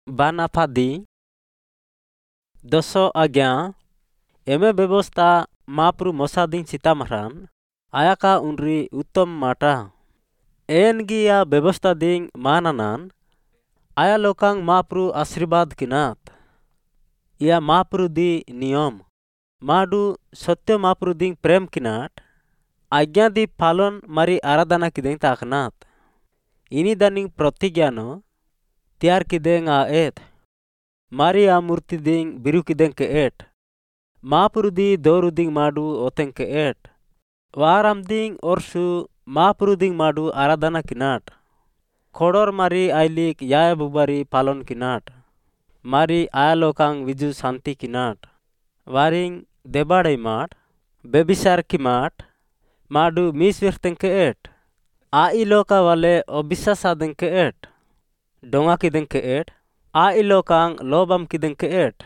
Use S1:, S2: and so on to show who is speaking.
S1: ବାନାଫାଦି 10 आज्ञा एमे व्यवस्था मापरू मोसादिंग चितामरान आयाका उनरी उत्तम माटा एनगी या व्यवस्था दिंग मानानान आया लोकांग मापरू आशीर्वाद किनात या मापरू दी नियम माडू सत्य मापरू दिंग प्रेम किनाट आज्ञा दी पालन मारी आराधना किदेंग ताकनात इनी दानिंग प्रतिज्ञानो तैयार किदेंग आ एत मारी आ मूर्ति दिंग बिरु किदेंग के एट मापरू दी दोरु दिंग माडू ओतेंग के एट वाराम दिंग ओरसु मापरू दिंग माडू आराधना किनाट खोडोर मारी आइलिक याय बुबारी पालन किनाट मारी आया लोकांग विजु शांति किनाट वारिंग देबाड़े माट बेबिसार की माट माडू मिस विरतेंग के एट आई लोका वाले अविश्वास आदेंग के एट डोंगा किदेंग के एट आई लोकांग लोबाम किदेंग के एट।